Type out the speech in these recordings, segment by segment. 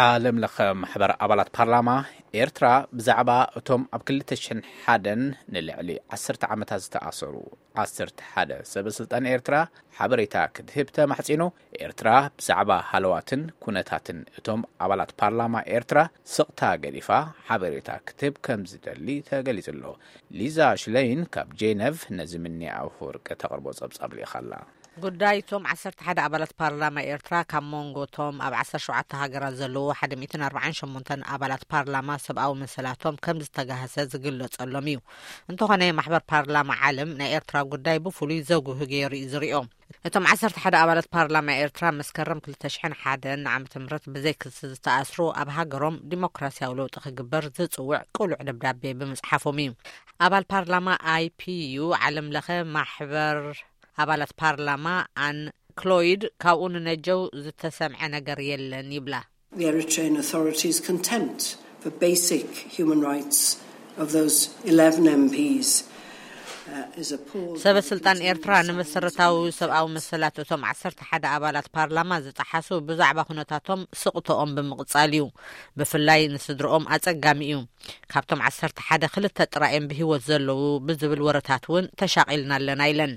ዓለም ለኸ ማሕበር ኣባላት ፓርላማ ኤርትራ ብዛዕባ እቶም ኣብ ክልተ ሽሕን ሓደን ንልዕሊ ዓሰርተ ዓመታት ዝተኣሰሩ ዓሰርተ ሓደ ሰበ ስልጣን ኤርትራ ሓበሬታ ክትህብ ተማሕጺኑ። ኤርትራ ብዛዕባ ሃለዋትን ኩነታትን እቶም ኣባላት ፓርላማ ኤርትራ ስቕታ ገዲፋ ሓበሬታ ክትህብ ከም ዝደሊ ተገሊጹ ኣሎ። ሊዛ ሽለይን ካብ ጄነቭ ነዚ ምኒ ኣፈወርቂ ተቕርቦ ጸብጻብ ልኢኻ ኣላ። ጉዳይ እቶም ዓሰርተ ሓደ ኣባላት ፓርላማ ኤርትራ ካብ መንጎ እቶም ኣብ ዓሰርተ ሸውዓተ ሃገራት ዘለዉ ሓደ ሚእትን ኣርባዓን ሸሞንተን ኣባላት ፓርላማ ሰብኣዊ መሰላቶም ከም ዝተጋህሰ ዝግለጸሎም እዩ። እንተኾነ ማሕበር ፓርላማ ዓለም ናይ ኤርትራ ጉዳይ ብፍሉይ ዘጉህ ገይሩ እዩ ዝሪኦ። እቶም ዓሰርተ ሓደ ኣባላት ፓርላማ ኤርትራ መስከረም ክልተ ሽሕን ሓደን ዓመተ ምህረት ብዘይ ክሲ ዝተኣስሩ ኣብ ሃገሮም ዲሞክራሲያዊ ለውጢ ክግበር ዝጽውዕ ቅሉዕ ደብዳቤ ብምጽሓፎም እዩ። ኣባል ፓርላማ ኣይፒዩ ዓለም ለኸ ማሕበር ኣባላት ፓርላማ ኣን ክሎይድ ካብኡ ንነጀው ዝተሰምዐ ነገር የለን ይብላ። The Eritrean authorities' contempt for basic human rights of those eleven M Ps, uh, is appalling. ሰበ ስልጣን ኤርትራ ንመሰረታዊ ሰብኣዊ መሰላት እቶም ዓሰርተ ሓደ ኣባላት ፓርላማ ዝጠሓሱ ብዛዕባ ኩነታቶም ስቕተኦም ብምቕጻል እዩ። ብፍላይ ንስድርኦም ኣጸጋሚ እዩ። ካብቶም ዓሰርተ ሓደ ክልተ ጥራይ እዮም ብህይወት ዘለዉ ብዝብል ወረታት እውን ተሻቒልና ኣለና ኢለን።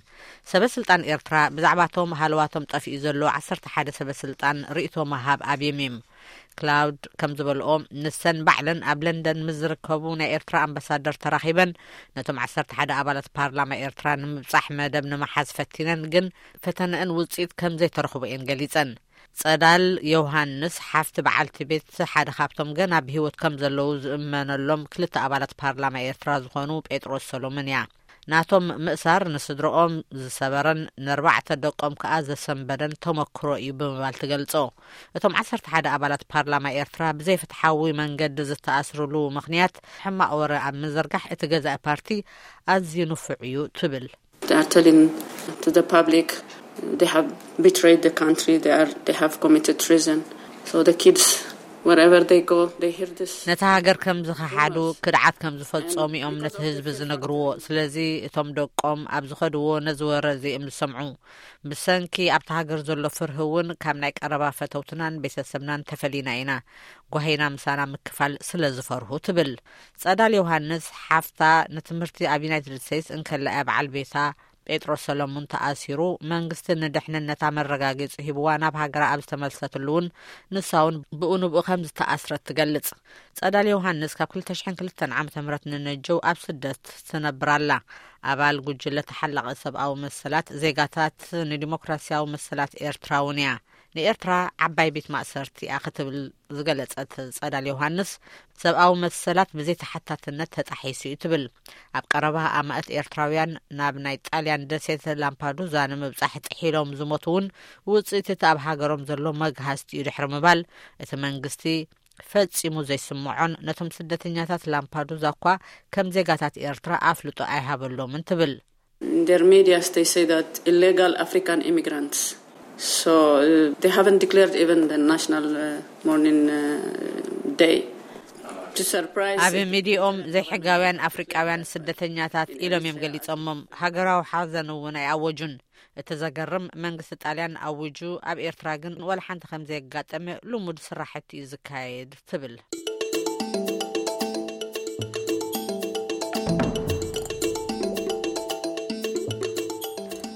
ሰበ ስልጣን ኤርትራ ብዛዕባቶም ሃለዋቶም ጠፊኡ ዘሎ ዓሰርተ ሓደ ሰበ ስልጣን ርእይቶ ምሃብ ኣብዮም እዮም። ክላውድ ከም ዝበልኦ፣ ንሰን ባዕለን ኣብ ለንደን ምስ ዝርከቡ ናይ ኤርትራ ኣምባሳደር ተራኺበን ነቶም ዓሰርተ ሓደ ኣባላት ፓርላማ ኤርትራ ንምብጻሕ መደብ ንምሓዝ ፈቲነን፣ ግን ፈተነአን ውጽኢት ከም ዘይተረኽቦ እየን ገሊጸን። ጸዳል ዮሃንስ ሓፍቲ በዓልቲ ቤት ሓደ ካብቶም ገና ብህይወት ከም ዘለዉ ዝእመነሎም ክልተ ኣባላት ፓርላማ ኤርትራ ዝኾኑ ጴጥሮስ ሰሎሞን እያ። ናቶም ምእሳር ንስድረኦም ዝሰበረን ንኣርባዕተ ደቆም ከኣ ዘሰንበደን ተመክሮ እዩ ብምባል ትገልጾ። እቶም ዓሰርተ ሓደ ኣባላት ፓርላማ ኤርትራ ብዘይፍትሓዊ መንገዲ ዝተኣስርሉ ምኽንያት ሕማቕ ወረ ኣብ ምዝርጋሕ እቲ ገዛኢ ፓርቲ ኣዝዩ ንፉዕ እዩ ትብል። They are telling to the public they have betrayed the country, they are, they have committed treason. So the kids, wherever they go, they hear this. ነታ ሃገር ከም ዝኸሓዱ፣ ክድዓት ከም ዝፈጸሙ እዮም ነቲ ህዝቢ ዝነግርዎ። ስለዚ እቶም ደቆም ኣብ ዝኸድዎ ነዚ ወረ እዚ እዮም ዝሰምዑ። ብሰንኪ ኣብታ ሃገር ዘሎ ፍርሂ እውን ካብ ናይ ቀረባ ፈተውትናን ቤተሰብናን ተፈሊና ኢና። ጓሂና ምሳና ምክፋል ስለ ዝፈርሁ ትብል። ጸዳል ዮሃንስ ሓፍታ ንትምህርቲ ኣብ ዩናይትድ ስቴትስ እንከላ እያ በዓል ቤታ ጴጥሮስ ሰሎሙን ተኣሲሩ፣ መንግስቲ ንድሕንነታ መረጋገጺ ሂብዋ ናብ ሃገራ ኣብ ዝተመልሰትሉ እውን ንሳ እውን ብኡ ንብኡ ከም ዝተኣስረት ትገልጽ። ጸዳል ዮሃንስ ካብ ክልተ ሽሕን ክልተን ዓመተ ምህረት ንነጀው ኣብ ስደት ትነብር ኣላ። ኣባል ጉጅለ ተሓላቒ ሰብኣዊ መሰላት ዜጋታት ንዲሞክራሲያዊ መሰላት ኤርትራ እውን እያ። ንኤርትራ ዓባይ ቤት ማእሰርቲ እያ ክትብል ዝገለጸት ጸዳል ዮሃንስ፣ ሰብኣዊ መሰላት ብዘይ ተሓታትነት ተጣሒሱ እዩ ትብል። ኣብ ቀረባ ኣማእት ኤርትራውያን ናብ ናይ ጣልያን ደሴት ላምፓዱዛ ንምብጻሕ ጥሒሎም ዝሞቱ እውን ውጽኢት እቲ ኣብ ሃገሮም ዘሎ መግሃስቲ እዩ ድሕሪ ምባል፣ እቲ መንግስቲ ፈጺሙ ዘይስምዖን ነቶም ስደተኛታት ላምፓዱዛ እኳ ከም ዜጋታት ኤርትራ ኣፍልጦ ኣይሃበሎምን ትብል። In their medias, they say that illegal African immigrants. So uh, they haven't declared even the national uh, mourning uh, day. To surprise ኣብ ሚዲኦም ዘይሕጋውያን ኣፍሪቃውያን ስደተኛታት ኢሎም እዮም ገሊጾሞም። ሃገራዊ ሓዘን እውን ኣይኣወጁን። እቲ ዘገርም፣ መንግስቲ ጣልያን ኣዊጁ፣ ኣብ ኤርትራ ግን ወላ ሓንቲ ከም ዘየጋጠመ ልሙድ ስራሕቲ እዩ ዝካየድ ትብል።